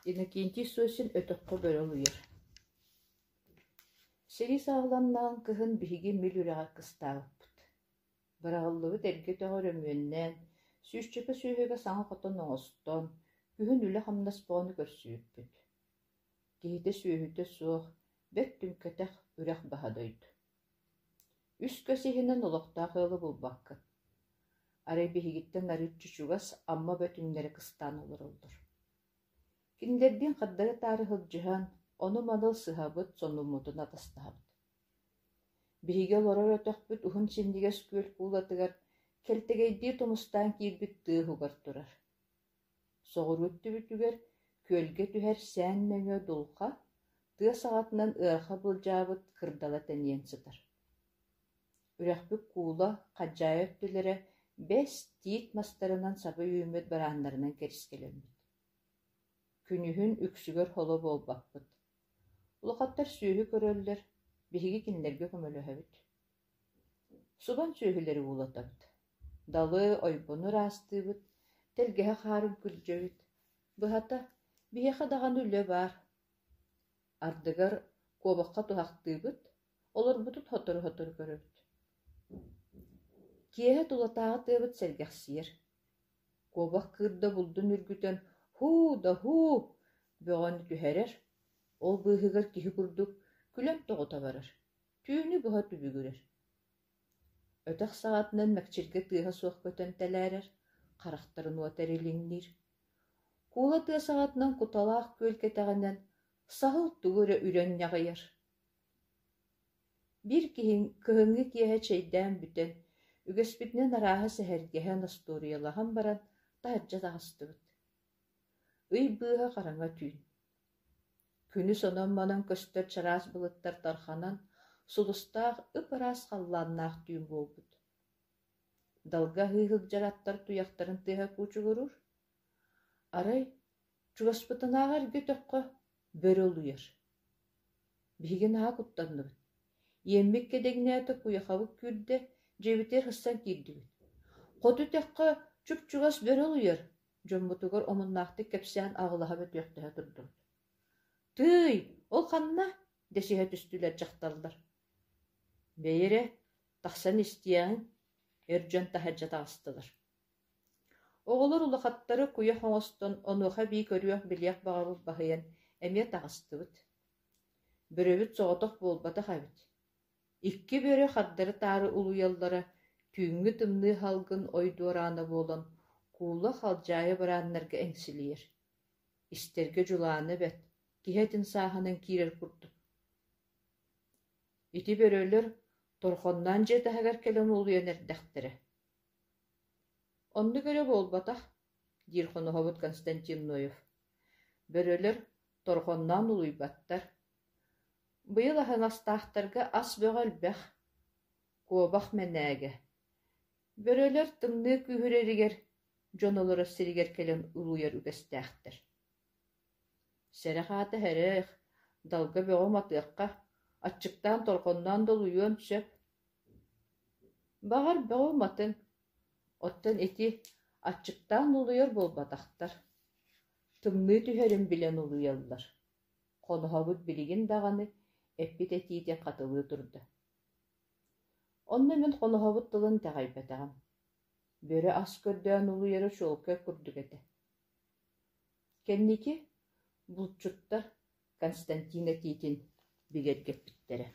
Иннокентий Сосин өтөххө бөрө улуйар. Сэрии саҕаланнаҕын кыһын биһиги Мүл үрэҕэр кыстаабыппыт. Быраҕыллыбыт эргэ өтөҕү өрөмүөннээн, сүүсчэкэ сүөһүгэ саҥа хотон оҥостон, күһүн үлэ-хамнас бөҕөнү көрсүбүппүт. Киһитэ-сүөһүтэ суох, бэрт түҥкэтэх үрэх баһа дойду. Үс көс иһинэн олохтоох ыалы булбаккын. Арай биһигиттэн арыыччы чугас Амма бөтүҥнэрэ кыстаан олороллор. Кинилэрдиин хардары-таары сылдьыһан, ону-маны ылсыһабыт, сонуммутун атастаһабыт. Биһиги олорор өтөхпүт уһун синньигэс күөл куулатыгар кэлтэгэйдии тумустаан киирбит тыа уһугар турар. Соҕуруу өттүбүтүгэр күөлгэ түһэр сээн нөҥүө дулҕа, тыа саҕатынан ыараха былдьаабыт кырдала тэнийэн сытар. Үрэхпит куула, хадьаайы өттүлэрэ бэс, тиит мастарынан саба үүммүт барааннарынан кэрискэлэммит. Күнүһүн үксүгэр холо буолбаппыт. Улахаттар сүөһү көрөллөр, биһиги кинилэргэ көмөлөһөбүт. Субан сүөһүлэри уулатабыт, далы, ойбону ыраастыыбыт, тэлгэһэ хаарын күрдьэбит. Быһата, биһиэхэ даҕаны үлэ баар. Ардыгар куобахха туһахтыыбыт, олорбутун сотору-сотору көрөбүт. Киэһэ тулатааҕы тыабыт сэргэхсийэр. Куобах кыырда булдун үргүтэн «һуу да һуу» бөҕөнү түһэрэр, ол быыһыгар киһи курдук күлэн тоҕута барар, түүнү быһа түбүгүрэр. Өтөх саҕатынан мэкчиргэ тыаһа суох көтөн тэлээрэр, харахтарын уота эрилиҥниир. Куула тыа саҕатынан куталаах күөл кэтэҕинэн саһыл тугу эрэ үрэн ньаҕыйар. Биир киһи кыһыҥҥы киэһэ чэйдээн бүтэн, үгэспитинэн арааһы сэһэргэһэн, остуоруйалаһан баран, таһырдьа таҕыстыбыт. Ый быыһа хараҥа түүн. Күнүс онон-манан көстөр чараас былыттар тарханан, сулустаах ып-ыраас халлааннаах түүн буолбут. Далга аһыы сылдьар аттар туйахтарын тыаһа куучугуруур. Арай, чугаспытынааҕар эргэ өтөххө бөрө улуйар. Биһиги наһаа куттанныбыт. Иэммит кэдэҥнээтэ, куйахабыт күүрдэ, дьиэбитигэр сыстан киирдибит. Хоту өтөххө чуп-чугас бөрө улуйар, дьоммутугар омуннаахтык кэпсээн аҕылаһа бөтүөхтэһэ турдубут. «Тыый, ол ханна?» дэсиһэ түстүлэр дьахталлар. «Бэйи эрэ, тахсан истиэҕиҥ», эр дьон таһырдьа таҕыстылар. Оҕолор улахаттары куйах оҥостон, онуоха эбии көрүөх-билиэх баҕабыт баһыйан, эмиэ таҕыстыбыт. Бөрөбүт соҕотох буолбатах эбит. Икки бөрө хардары-таары улуйаллара түүҥҥү тымныы салгын ой дуораана буолан, куула халдьаайы барааннарга эҥсилийэр. Истэргэ дьулаана бэрт, киһи этин сааһынан киирэр курдук. Ити бөрөлөр торхонноон дьиэ таһыгар кэлэн улуйан эрдэхтэрэ. Оннук эрэ буолбатах, диир хоноһобут Константин Ноев. Бөрөлөр торҕонноон улуйбаттар. Быйыл аһыҥастаахтарга ас бөҕө элбэх, куобах мэнээгэ. Бөрөлөр тымныы күүһүрэригэр дьон олорор сиригэр кэлэн улуйар үгэстээхтэр. Сэрэх аата сэрэх, далга бөҕө уматыахха, аччыктаан торҕонноон да улуйуон сөп. Баҕар, бөҕө уматыҥ, оттон ити аччыктаан улуйар буолбатахтар, тымныы түһэрин билэн улуйаллар. Хоноһобут билигин даҕаны эппит этиитин хатылыы турда. Онно мин хоноһобут тылын итэҕэйбэтэҕим. Бөрө ас көрдөөн улуйара чуолкай курдук этэ. Кэнники булчуттар Константин этиитин бигэргэппиттэрэ.